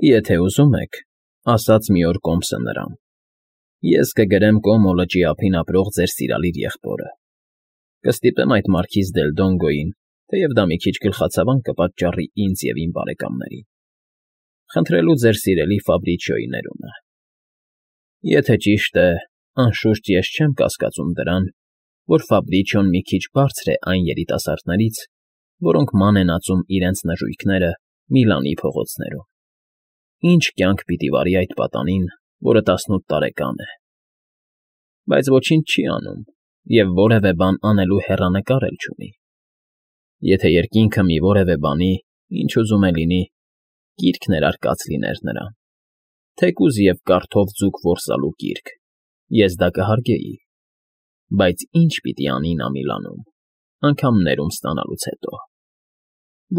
Եթե ուզում եք, ասաց մի օր Կոմսը նրան, ես կգրեմ Կոմո լճի ափին ապրող ձեր սիրալիր եղբորը, կստիպեմ այդ Մարքիզ դել Դոնգոյին, թեև դա մի քիչ գլխացավանք կպատճառի ինձ և իմ բարեկամներին, խնդրելու ձեր սիրելի Ֆաբրիչիոյի ներումը։ Եթե ճիշտ է, անշուշտ ես չեմ կասկածում դրան, որ Ֆաբրիչիոն մի քիչ բարձր է այն երիտասարդներից, որոնք ման են ածում իրենց նժույգները Միլանի փողոցներում։ Ինչ կյանք պիտի վարի այդ պատանին, որը 18 տարեկան է, բայց ոչինչ չի անում և որևէ բան անելու հեռանկար էլ չունի։ Եթե երկինքը մի որևէ բանի, ինչ ուզում է լինի, կիրք ներարկած լիներ նրան, թեկուզ և կարթով ձուկ որսալու կիրք, ես դա կհարգեի, բայց ի՞նչ պիտի անի նա Միլանում, անգամ ներում ստանալուց հետո։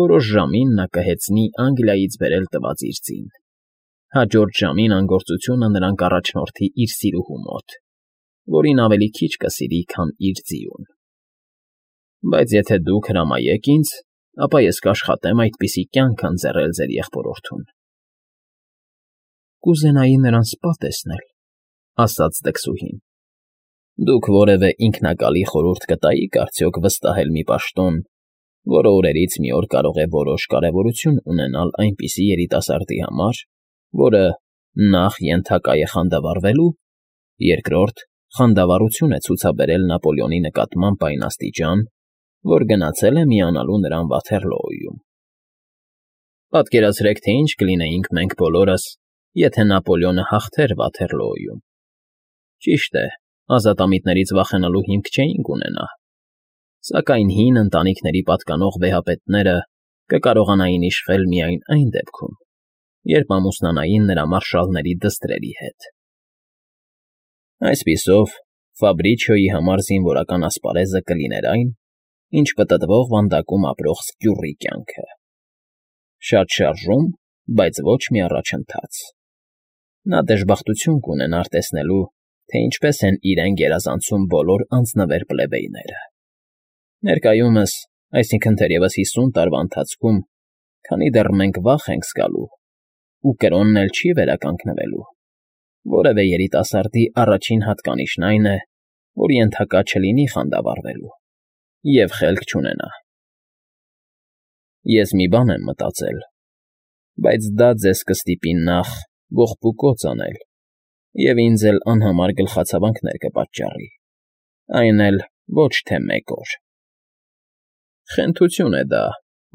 Որոշ ժամին նա կհեծնի Անգլիայից բերել տված իր ձին, հաջորդ ժամին անգործությունը նրան կառաջնորդի իր սիրուհու մոտ, որին ավելի քիչ կսիրի, քան իր ձիուն։ Բայց եթե դուք հրամայեք ինձ, ապա ես կաշխատեմ այդպիսի կյանք ընձեռել ձեր եղբորորդուն։ Կուզենայի նրան սպա տեսնել, ասաց դքսուհին։ Դուք որևէ ինքնակալի խորհուրդ կտայիք արդյոք վստահել մի պաշտոն, որը օրերից մի օր կարող է որոշ կարևորություն ունենալ այնպիսի երիտասարդի համար, որը նախ ենթակա է խանդավառվելու, երկրորդ խանդավառություն է ցուցաբերել Նապոլեոնի նկատմամբ այն աստիճան, որ գնացել է միանալու նրան Վաթերլոոյում։ Պատկերացրեք, թե ինչ կլինեինք մենք բոլորս, եթե Նապոլեոնը հաղթեր Վաթերլոոյում։ Ճիշտ է, ազատամիտներից վախենալու հիմք չէինք ունենա, սակայն հին ընտանիքների պատկանող վեհապետները կկարողանային իշխել միայն այն դեպքում, երբ ամուսնանային նրա մարշալների դստրերի հետ։ Այսպիսով, Ֆաբրիչիոյի համար զինվորական ասպարեզը կլիներ այն, ինչ պտտվող վանդակում ապրող սկյուռի կյանքը. շատ շարժում, բայց ոչ մի առաջընթաց։ Նա դժբախտություն կունենար տեսնելու, թե ինչպես են իրեն գերազանցում բոլոր անձնվեր պլեբեյները։ Ներկայումս, այսինքն թերևս 50 տարվա ընթացքում, քանի դեռ մենք վախ ենք զգալու, ու կրոնն էլ չի վերականգնվելու, որևէ երիտասարդի առաջին հատկանիշն այն է, որ ենթակա չլինի խանդավառվելու և խելք չունենա։ Ես մի բան եմ մտածել, բայց դա ձեզ կստիպի նախ ողբուկոծ անել և ինձ էլ անհամար գլխացավանքներ կպատճառի, այն էլ ոչ թե մեկ օր։ Խենթություն է դա,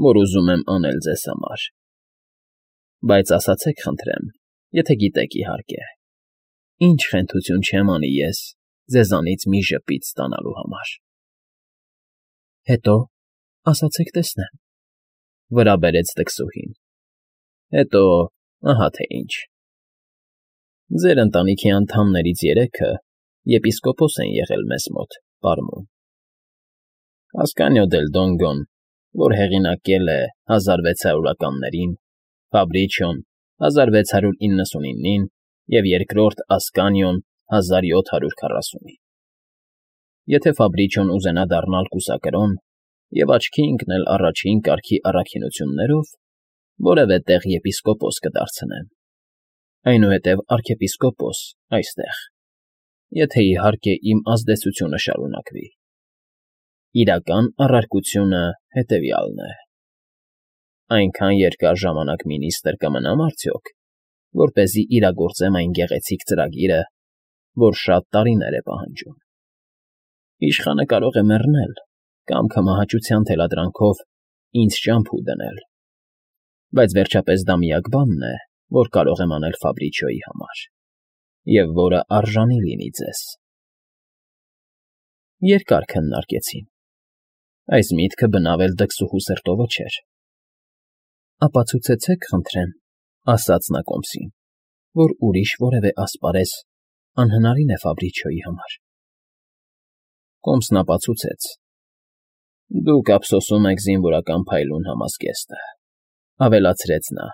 որ ուզում եմ անել ձեզ համար, բայց ասացեք խնդրեմ, եթե գիտեք իհարկե, ինչ խենթություն չեմ անի ես ձեզանից մի ժպիտ ստանալու համար։ Հետո, ասացեք տեսնեմ, վրա բերեց դքսուհին։ Հետո, ահա թե ինչ։ Ձեր ընտանիքի անդամներից 3-ը եպիսկոպոս են եղել մեզ մոտ, պարմուն։ Ասկանիո դել Դոնգոն, որ հեղինակել է 1600-ականներին, Ֆաբրիչիոն 1699-ին և երկրորդ Ասկանիոն 1740-ին։ Եթե Ֆաբրիչիոն ուզենա դառնալ կուսակրոն և աչքի ընկնել առաջին կարգի առաքինություններով, որևէ տեղ եպիսկոպոս կդարձնեմ, այնուհետև արքեպիսկոպոս այստեղ, եթե իհարկե իմ ազդեցությունը շարունակվի։ Իրական առարկությունը հետևյալն է. այնքան երկար ժամանակ մինիստրը կմնամ արդյոք, որպեսզի իրագործեմ այն գեղեցիկ ծրագիրը, որ շատ տարիներ է պահանջում։ Իշխանը կարող է մեռնել կամ քմահաճության թելադրանքով ինձ ճամփու դնել, բայց վերջապես դա միակ բանն է, որ կարող եմ անել Ֆաբրիչիոյի համար, և որը արժանի լինի ձեզ։ Երկար քննարկեցին։ Այս միտքը բնավ էլ դքսուհու սրտովը չէր։ Ապացուցեցեք, խնդրեմ, ասաց նա Կոմսին, որ ուրիշ որևէ ասպարեզ անհնարին է Ֆաբրիչիոյի համար։ Կոմսն ապացուցեց. Դուք ափսոսում եք զինվորական փայլուն համազգեստը, ավելացրեց նա,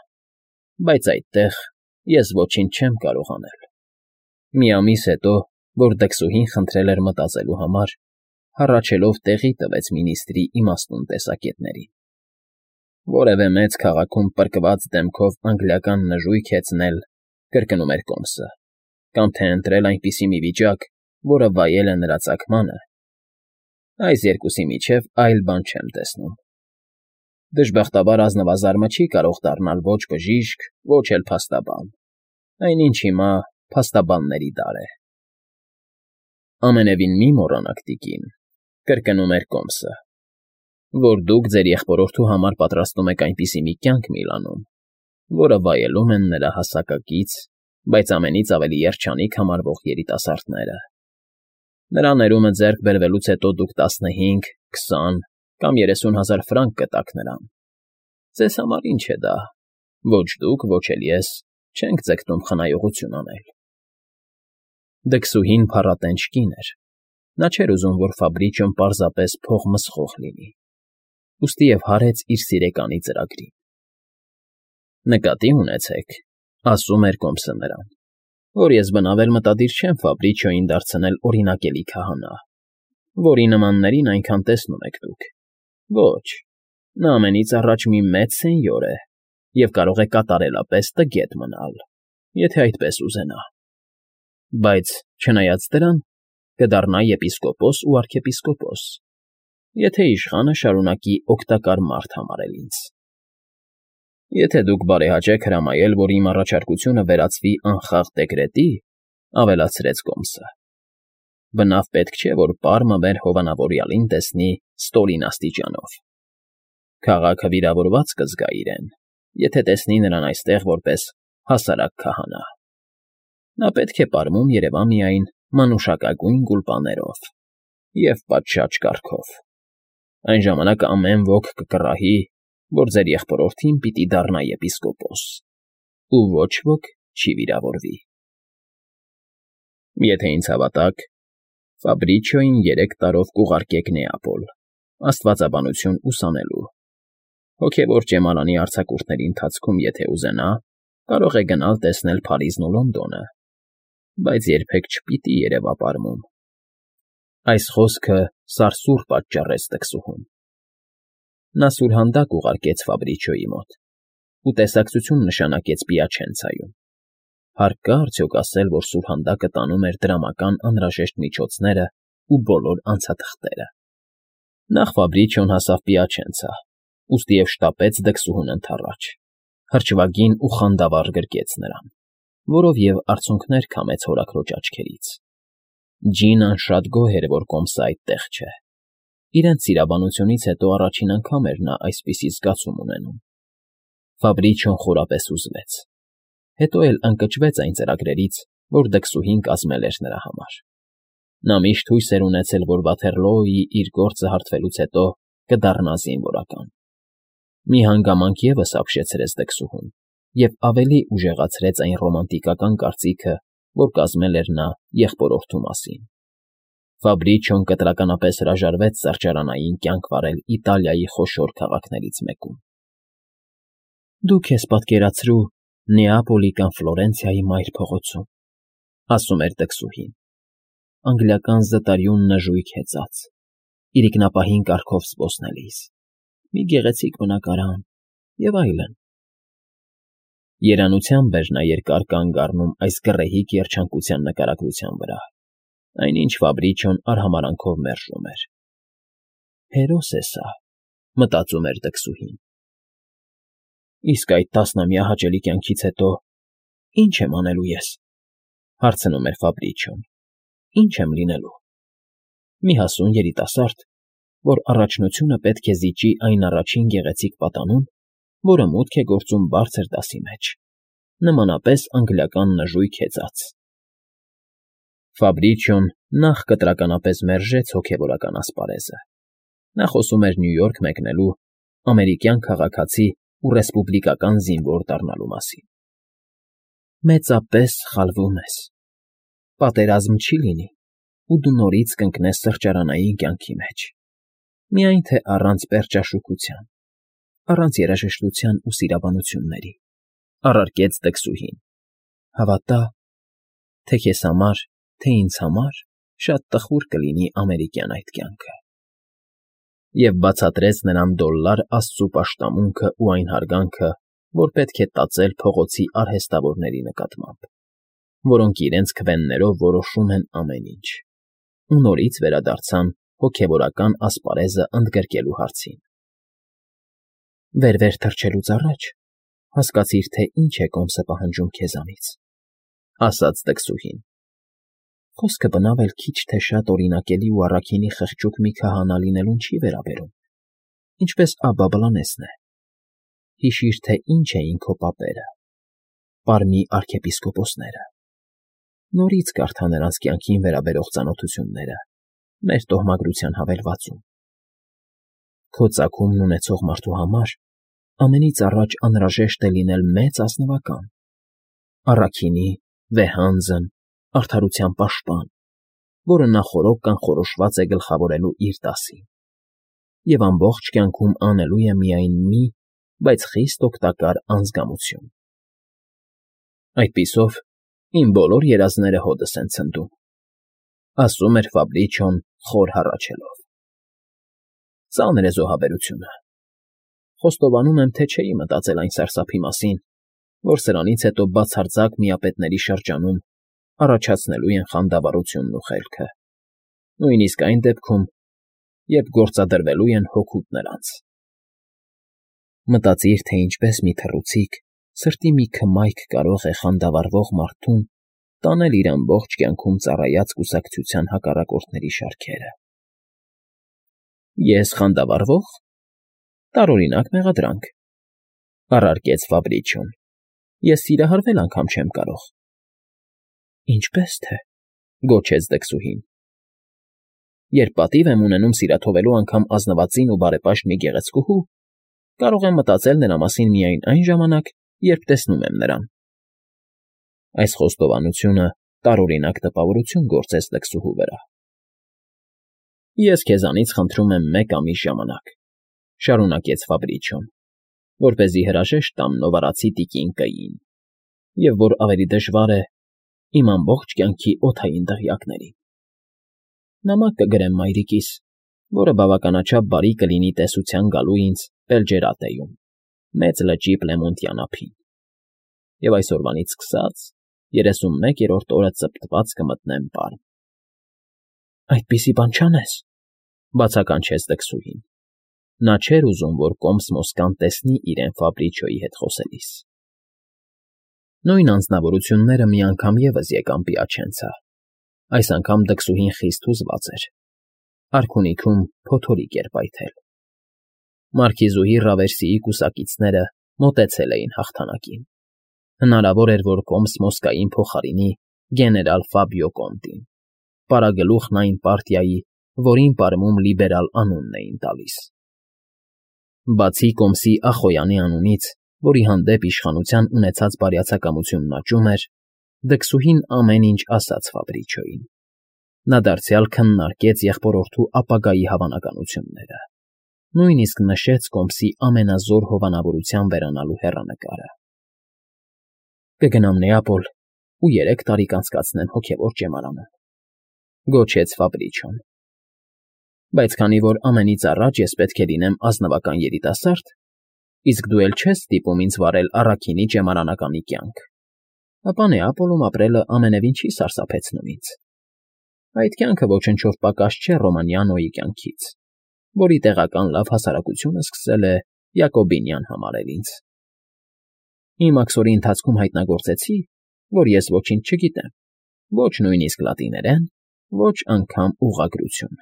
բայց այդտեղ ես ոչինչ չեմ կարող անել։ Մի ամիս հետո, որ դքսուհին խնդրել էր մտածելու համար, հառաչելով տեղի տվեց մինիստրի իմաստուն տեսակետներին։ Որևէ մեծ քաղաքում պրկված դեմքով անգլիական նժույգ հեծնել, կրկնում էր Կոմսը, կամ թե ընտրել այնպիսի մի վիճակ, որը վայել է նրա ծագմանը, այս երկուսի միջև այլ բան չեմ տեսնում։ Դժբախտաբար ազնվազարմը չի կարող դառնալ ոչ բժիշկ, ոչ էլ փաստաբան, այնինչ հիմա փաստաբանների դար է։ Ամենևին մի մոռանաք, տիկին, կրկնում էր Կոմսը, որ դուք ձեր եղբորորդու համար պատրաստում եք այնպիսի մի կյանք Միլանում, որը վայելում են նրա հասակակից, բայց ամենից ավելի երջանիկ համարվող երիտասարդները։ Նրա ներումը ձեռք բերվելուց հետո դուք 15, 20 կամ 30,000 ֆրանկ կտաք նրան։ Ձեզ համար ինչ է դա, ոչ դուք, ոչ էլ ես չենք ձգտում խնայողություն անել։ Դքսուհին փառատենչ կին էր։ Նա չէր ուզում, որ Ֆաբրիչիոն պարզապես փողմսխող լինի, ուստի և հարեց իր սիրեկանի ծրագրին։ Նկատի ունեցեք, ասում էր Կոմսը նրան, որ ես բնավել մտադիր չեմ Ֆաբրիչիոյին դարձնել օրինակելի քահանա, որի նմաններին այնքան տեսնում եք դուք։ Ոչ, նա ամենից առաջ մի մեծ սենյոր է և կարող է կատարելապես տգետ մնալ, եթե այդպես ուզենա, բայց, չնայած դրան, կդառնա եպիսկոպոս ու արքեպիսկոպոս, եթե իշխանը շարունակի օգտակար մարդ համարել ինձ։ Եթե դուք բարեհաճեք հրամայել, որ իմ առաջարկությունը վերածվի անխաղ դեկրետի, ավելացրեց Կոմսը, բնավ պետք չէ, որ պարմը մեր հովանավորյալին տեսնի ստորին աստիճանով։ Քաղաքը վիրավորված կզգա իրեն, եթե տեսնի նրան այստեղ որպես հասարակ քահանա։ Նա պետք է պարմում երևա միայն մանուշակագույն գուլպաներով և պատշաճ կառքով։ Այն ժամանակ ամեն ոք կկռահի, որ ձեր եղբորորդին պիտի դառնա եպիսկոպոս, ու ոչ ոք չի վիրավորվի։ Եթե ինձ հավատաք, Ֆաբրիչիոյին 3 տարով կուղարկեք Նեապոլ, աստվածաբանություն ուսանելու։ Հոգևոր ճեմարանի արձակուրդների ընթացքում, եթե ուզենա, կարող է գնալ տեսնել Փարիզն ու Լոնդոնը, բայց երբեք չպիտի երևա պարմում։ Այս խոսքը սարսուռ պատճառեց տկսուհուն։ Նա սուրհանդակ ուղարկեց Ֆաբրիչիոյի մոտ ու տեսակցություն նշանակեց Պիաչենցայում։ Հարկ կա արդյոք ասել, որ սուրհանդակը տանում էր դրամական անհրաժեշտ միջոցները ու բոլոր անցաթղթերը։ Նախ Ֆաբրիչիոն հասավ Պիաչենցա, ուստիև շտապեց դքսուհուն ընդառաջ, հրճվագին ու խանդավառ գրկեց նրան, որով և արցունքներ քամեց հորաքրոջ աչքերից։ Ջինան շատ գոհ էր, որ Կոմսը այդտեղ չէ։ Իրենց սիրաբանությունից հետո առաջին անգամ էր նա այսպիսի զգացում ունենում։ Ֆաբրիչիոն խորապես հուզվեց, հետո էլ ընկճվեց այն ծրագրերից, որ դքսուհին կազմել էր նրա համար։ Նա միշտ հույս էր ունեցել, որ Վաթերլոյի իր գործը հարթվելուց հետո կդառնա զինվորական։ Մի հանգամանք ևս ապշեցրեց դքսուհուն և ավելի ուժեղացրեց այն ռոմանտիկական կարծիքը, որ կազմել էր նա եղբորորդու մասին։ Ֆաբրիչիոն կտրականապես հրաժարվեց սրճարանային կյանք վարել Իտալիայի խոշոր քաղաքներից մեկում։ Դու քեզ պատկերացրու Նեապոլի կամ Ֆլորենցիայի մայր փողոցում, ասում էր դքսուհին, անգլիական զտարյուն նժույգ հեծած, իրիկնապահին կառքով զբոսնելիս, մի գեղեցիկ բնակարան և այլն։ Երանությամբ էր նա երկար կանգ առնում այս գռեհիկ երջանկության նկարագրության վրա, այնինչ Ֆաբրիչիոն արհամարանքով մերժում էր։ Հերոս է սա, մտածում էր դքսուհին։ Իսկ այդ տասնամյա հաճելի կյանքից հետո ի՞նչ եմ անելու ես, հարցնում էր Ֆաբրիչիոն։ Ի՞նչ եմ լինելու։ Մի հասուն երիտասարդ, որ առաջնությունը պետք է զիջի այն առաջին գեղեցիկ պատանուն, որը մուտք է գործում բարձր դասի մեջ, նմանապես անգլիական նժույգ հեծած։ Ֆաբրիչիոն նախ կտրականապես մերժեց հոգևորական ասպարեզը։ Նա խոսում էր Նյու Յորք մեկնելու, ամերիկյան քաղաքացի ու ռեսպուբլիկական զինվոր դառնալու մասին։ Մեծապես սխալվում ես։ Պատերազմ չի լինի, ու դու նորից կընկնես սրճարանային կյանքի մեջ, միայն թե առանց պերճաշուքության, առանց երաժշտության ու սիրաբանությունների, առարկեց դքսուհին։ Հավատա, թե քեզ համար, թե ինձ համար շատ տխուր կլինի ամերիկյան այդ կյանքը։ և բացատրեց նրան $1 աստծու պաշտամունքը ու այն հարգանքը, որ պետք է տածել փողոցի արհեստավորների նկատմամբ, որոնք իրենց քվեններով որոշում են ամեն ինչ, ու նորից վերադարձան հոգևորական ասպարեզը ընդգրկելու հարցին։ Վեր թռչելուց առաջ հասկացիր, թե ինչ է կոմսը պահանջում քեզանից, ասաց դքսուհին։ Խոսքը բնավ էլ քիչ թե շատ օրինակելի ու առաքինի խղճուկ մի քահանա լինելուն չի վերաբերում, ինչպես Աբաբլանեսն է։ Հիշիր, թե ինչ էին քո պապերը, Պարմի արքեպիսկոպոսները։ Նորից կարդա նրանց կյանքին վերաբերող ծանոթությունները մեր տոհմագրության հավելվածում։ Քո ծագումն ունեցող մարդու համար ամենից առաջ անհրաժեշտ է լինել մեծ ազնվական, առաքինի, վեհանձն, արդարության պաշտպան, որը նախօրոք կանխորոշված է գլխավորելու իր դասին, և ամբողջ կյանքում անելու է միայն մի, բայց խիստ օգտակար անձգամություն։ Այդպիսով իմ բոլոր երազները հօդս են ցնդում, ասում էր Ֆաբրիչոն խոր հառաչելով։ Ծանր է զոհաբերությունը։ Խոստովանում եմ, թե չէի մտածել այն սարսափի մասին, որ սրանից հետո բացարձակ միապետների շրջանում առաջացնելու են խանդավառությունն ու խելքը, նույնիսկ այն դեպքում, երբ գործադրվելու են հօգուտ նրանց։ Մտածիր, թե ինչպես մի թռուցիկ սրտի մի քմայք կարող է խանդավառվող մարդուն տանել իր ամբողջ կյանքում ծառայած կուսակցության հակառակորդների շարքերը։ Ես խանդավառվո՞ղ։ Տարօրինակ մեղադրանք, առարկեց Ֆաբրիչոն։ Ես սիրահարվել անգամ չեմ կարող։ Ինչպես թե, գոչեց դքսուհին։ Երբ պատիվ եմ ունենում սիրաթողելու անգամ ազնվածին ու բարեպաշտ մի գեղեցկուհու, կարող եմ մտածել նրա մասին միայն այն ժամանակ, երբ տեսնում եմ նրան։ Այս խոստովանությունը տարօրինակ տպավորություն գործեց դքսուհու վրա։ Ես քեզանից խնդրում եմ 1 ամիս ժամանակ, շարունակեց Ֆաբրիչոն, որպեսզի հրաժեշտ տամ նովարացի տիկին Կային, և որ ավելի դժվար է, իմ ամբողջ կյանքի օդային դղյակներին։ Նամակ կգրեմ մայրիկիս, որը բավականաչափ բարի կլինի տեսության գալու ինձ Պելջերատեում, Մեծ լճի Պլեմոնտյան ափին, և այսօրվանից սկսած 31-րդ օրը ծպտված կմտնեմ Պարմ։ Այդպիսի բան չանես, բացականչեց դքսուհին։ Նա չէր ուզում, որ կոմս Մոսկան տեսնի իրեն Ֆաբրիչոյի հետ խոսելիս։ Նույն անձնավորությունները մի անգամ ևս եկան Պիաչենցա։ Այս անգամ դքսուհին խիստ հուզված էր։ Արքունիքում փոթորիկ էր պայթել։ Մարքիզուհի Ռավերսիի կուսակիցները մոտեցել էին հաղթանակին։ Հնարավոր էր, որ կոմս Մոսկային փոխարինի գեներալ Ֆաբիո Կոնտին, պարագլուխն այն պարտիայի, որին Պարմում լիբերալ անունն էին տալիս։ Բացի կոմսի Ախոյանի անունից, որի հանդեպ իշխանության ունեցած բարյացակամությունն աճում էր, դքսուհին ամեն ինչ ասաց Ֆաբրիչոյին։ Նա դարձյալ քննարկեց եղբորորդու ապագայի հավանականությունները, նույնիսկ նշեց կոմսի ամենազոր հովանավորության վերանալու հեռանկարը։ Կգնամ Նեապոլ ու 3 տարի կանցկացնեմ հոգևոր ճեմարանում, գոչեց Ֆաբրիչոն։ Բայց քանի որ ամենից առաջ ես պետք է լինեմ ազնվական երիտասարդ, իսկ դու էլ չես ստիպում ինձ վարել առաքինի ճեմարանականի կյանք, ապա Նեապոլում ապրելը ամենևին չի սարսափեցնում ինձ։ Այդ կյանքը ոչնչով պակաս չէ Ռոմանիանոյի կյանքից, որի տեղական լավ հասարակությունը սկսել է Յակոբինյան համարել ինձ։ Իմ աքսորի ընթացքում հայտնագործեցի, որ ես ոչինչ չգիտեմ, ոչ նույնիսկ լատիներեն, ոչ անգամ ուղղագրություն։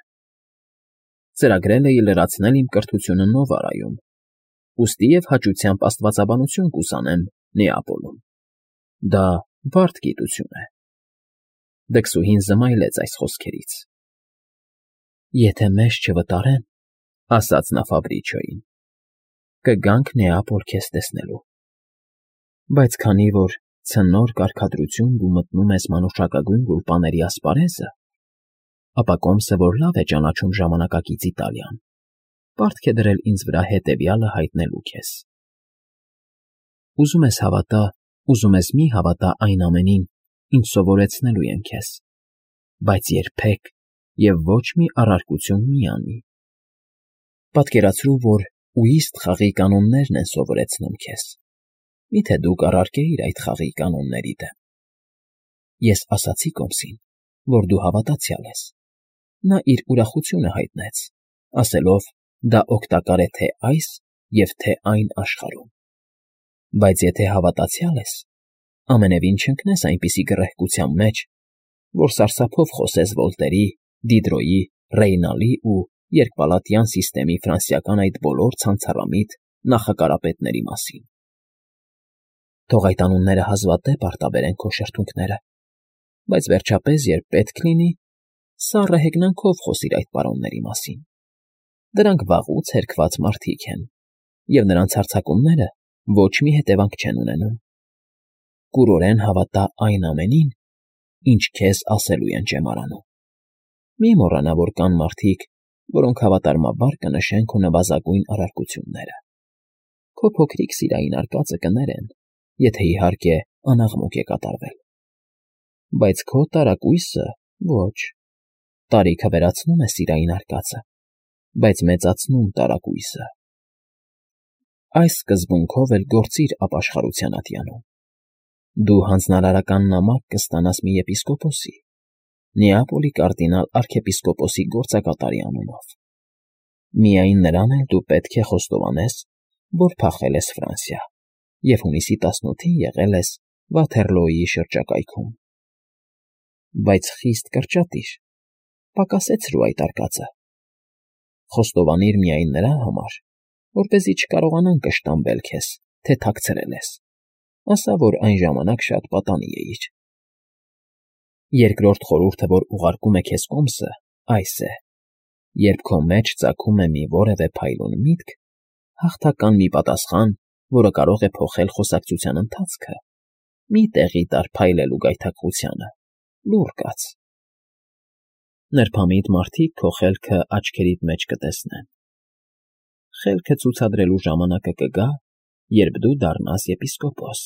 Ծրագրել էի լրացնել իմ կրթությունը Նովարայում, ուստի և հաճությամբ աստվածաբանություն կուսանեմ Նեապոլում։ Դա բարդ գիտություն է։ Դքսուհին զմայլեց այս խոսքերից։ Եթե մեզ չվտարեն, ասաց նա Ֆաբրիչոյին, կգանք Նեապոլ քեզ տեսնելու։ Բայց քանի որ ցնոր կարգադրություն դու մտնում ես մանուշակագույն գուլպաների ասպարեզը, ապա կոմսը, որ լավ է ճանաչում ժամանակակից Իտալիան, պարտք է դրել ինձ վրա հետևյալը հայտնելու քեզ։ Ուզում ես հավատա, ուզում ես մի հավատա այն ամենին, ինչ սովորեցնելու եմ քեզ, բայց երբեք և ոչ մի առարկություն մի անի։ Պատկերացրու, որ ուիստ խաղի կանոններն են սովորեցնում քեզ։ Միթե դու կառարկեիր այդ խաղի կանոնների դեմ։ Ես ասացի կոմսին, որ դու հավատացյալ ես։ Նա իր ուրախությունը հայտնեց, ասելով, դա օգտակար է թե այս և թե այն աշխարհում։ Բայց եթե հավատացյալ ես, ամենևին չընկնես այնպիսի գռեհկության մեջ, որ սարսափով խոսես Վոլտերի, Դիդրոյի, Ռեյնալի ու երկպալատյան սիստեմի ֆրանսիական այդ բոլոր ցանցառամիտ նախակարապետների մասին։ Թող այդ անունները հազվադեպ արտաբերեն քո շրթունքները, բայց վերջապես, երբ պետք լինի, սառը հեգնանքով խոսիր այդ պարոնների մասին։ Դրանք վաղուց հերքված մարդիկ են, և նրանց հարձակումները ոչ մի հետևանք չեն ունենում։ Կուրորեն հավատա այն ամենին, ինչ քեզ ասելու են ճեմարանում։ Մի մոռանա, որ կան մարդիկ, որոնք հավատարմաբար կնշեն քո նվազագույն արարքությունները։ Քո փոքրիկ սիրային արկածը կներեն, եթե իհարկե անաղմուկ է կատարվել։ Բայց քո տարակույսը ոչ։ Տարիքը վերացնում է սիրային արկածը, բայց մեծացնում տարակույսը։ Այս սկզբունքով էլ գործիր ապաշխարության ատյանում։ Դու հանձնարարական նամակ կստանաս մի եպիսկոպոսի, Նեապոլի կարդինալ արքեպիսկոպոսի գործակատարի անունով։ Միայն նրան էլ դու պետք է խոստովանես, որ փախել ես Ֆրանսիա և հունիսի 18-ին եղել ես Վաթերլոյի շրջակայքում։ Բայց խիստ կրճատիր, պակասեցրու այդ արկածը։ Խոստովանիր միայն նրա համար, որպեսզի չկարողանան կշտամբել քեզ, թե թաքցրել ես, ասա, որ այն ժամանակ շատ պատանի էիր։ Երկրորդ խորհուրդը, որ ուղարկում է քեզ կոմսը, այս է. երբ քո մեջ ծագում է մի որևէ փայլուն միտք, հաղթական մի պատասխան, որը կարող է փոխել խոսակցության ընթացքը, մի տեղի տար փայլելու գայթակղությանը, լուռ կաց։ Նրբամիտ մարդիկ քո խելքը աչքերիդ մեջ կտեսնեն։ Խելքը ցուցադրելու ժամանակը կգա, երբ դու դառնաս եպիսկոպոս։